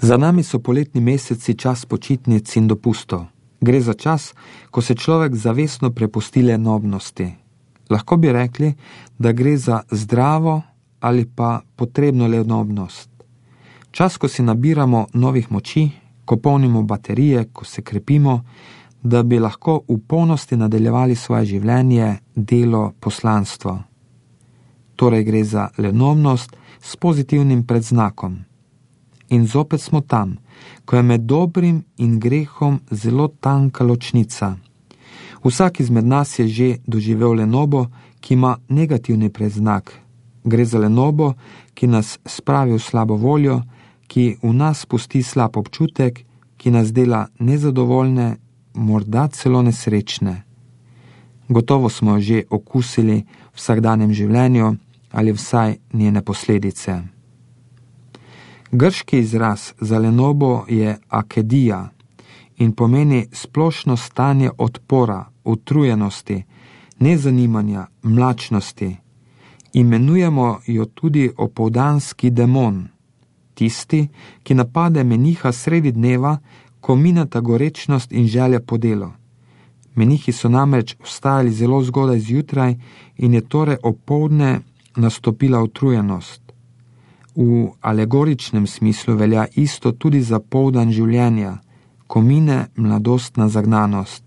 Za nami so poletni meseci čas počitnic in dopustov. Gre za čas, ko se človek zavestno prepusti lenobnosti. Lahko bi rekli, da gre za zdravo ali pa potrebno lenobnost. Čas, ko si nabiramo novih moči, ko polnimo baterije, ko se krepimo, da bi lahko v polnosti nadaljevali svoje življenje, delo, poslanstvo. Torej gre za lenobnost s pozitivnim predznakom. In zopet smo tam, ko je med dobrim in grehom zelo tanka ločnica. Vsak izmed nas je že doživel lenobo, ki ima negativni predznak. Gre za lenobo, ki nas spravi v slabo voljo, ki v nas pusti slab občutek, ki nas dela nezadovoljne, morda celo nesrečne. Gotovo smo že okusili v vsakdanjem življenju ali vsaj njene posledice. Grški izraz za lenobo je akedija in pomeni splošno stanje odpora, utrujenosti, nezanimanja, mlačnosti. Imenujemo jo tudi opoldanski demon, tisti, ki napade meniha sredi dneva, ko mineta gorečnost in želja po delu. Menihi so namreč vstajali zelo zgodaj zjutraj in je torej opoldne nastopila utrujenost. V alegoričnem smislu velja isto tudi za poldan življenja, ko mine mladostna zagnanost.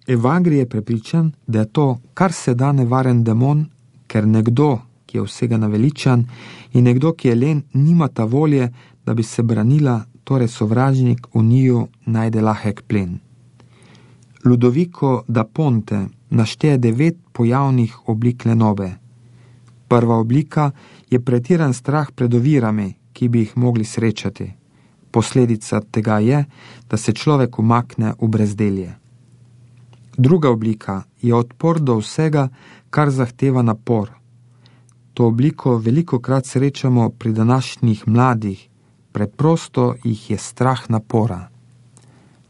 Evagri je prepričan, da je to kar se da nevaren demon, ker nekdo, ki je vsega naveličan, in nekdo, ki je len, nimata volje, da bi se branila, torej sovražnik v njiju najde lahek plen. Ludovico da Ponte našteje 9 pojavnih oblik lenobe. Prva oblika je pretiran strah pred ovirami, ki bi jih mogli srečati. Posledica tega je, da se človek umakne v brezdelje. Druga oblika je odpor do vsega, kar zahteva napor. To obliko velikokrat srečamo pri današnjih mladih, preprosto jih je strah napora.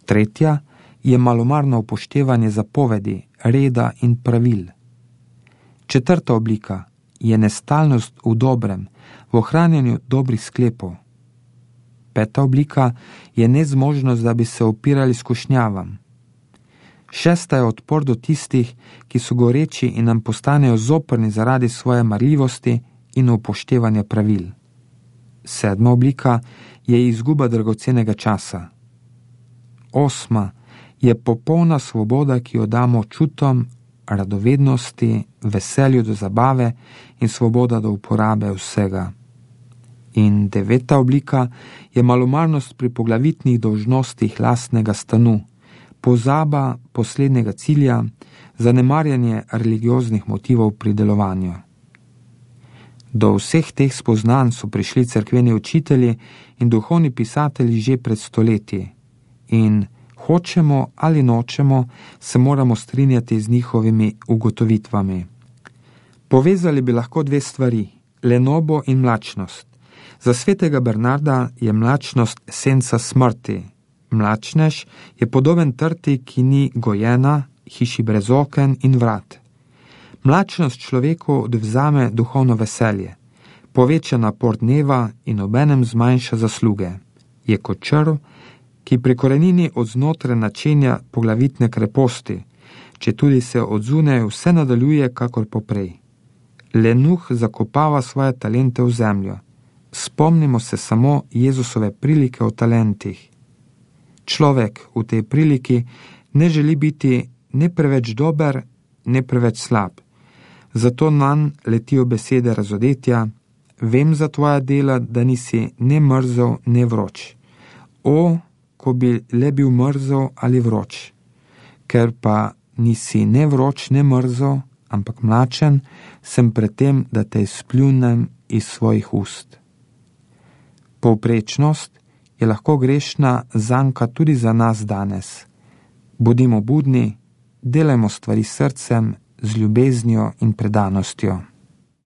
Tretja je malomarno upoštevanje zapovedi, reda in pravil. Četrta oblika je nestalnost v dobrem, v ohranjanju dobrih sklepov. Peta oblika je nezmožnost, da bi se upirali skušnjavam. Šesta je odpor do tistih, ki so goreči in nam postanejo zoprni zaradi svoje marljivosti in upoštevanja pravil. Sedma oblika je izguba dragocenega časa. Osma je popolna svoboda, ki jo damo čutom, radovednosti, veselju do zabave in svoboda do uporabe vsega. In deveta oblika je malomarnost pri poglavitnih dolžnostih lastnega stanu, pozaba poslednjega cilja, zanemarjanje religioznih motivov pri delovanju. Do vseh teh spoznanj so prišli cerkveni učitelji in duhovni pisatelji že pred stoletji in hočemo ali nočemo, se moramo strinjati z njihovimi ugotovitvami. Povezali bi lahko 2 stvari, lenobo in mlačnost. Za svetega Bernarda je mlačnost senca smrti. Mlačnež je podoben trti, ki ni gojena, hiši brez oken in vrat. Mlačnost človeku odvzame duhovno veselje, poveča napor dneva in obenem zmanjša zasluge. Je kot črv, ki pri korenini od znotraj načenja poglavitne kreposti, četudi se od zunaj vse nadaljuje kakor poprej. Lenuh zakopava svoje talente v zemljo. Spomnimo se samo Jezusove prilike o talentih. Človek v tej priliki ne želi biti ne preveč dober, ne preveč slab. Zato nanj letijo besede razodetja: vem za tvoja dela, da nisi ne mrzel, ne vroč. O, ko bi le bil mrzel ali vroč. Ker pa nisi ne vroč, ne mrzel, ampak mlačen, sem pred tem, da te izpljunem iz svojih ust. Povprečnost je lahko grešna zanka tudi za nas danes. Bodimo budni, delajmo stvari s srcem, z ljubeznijo in predanostjo.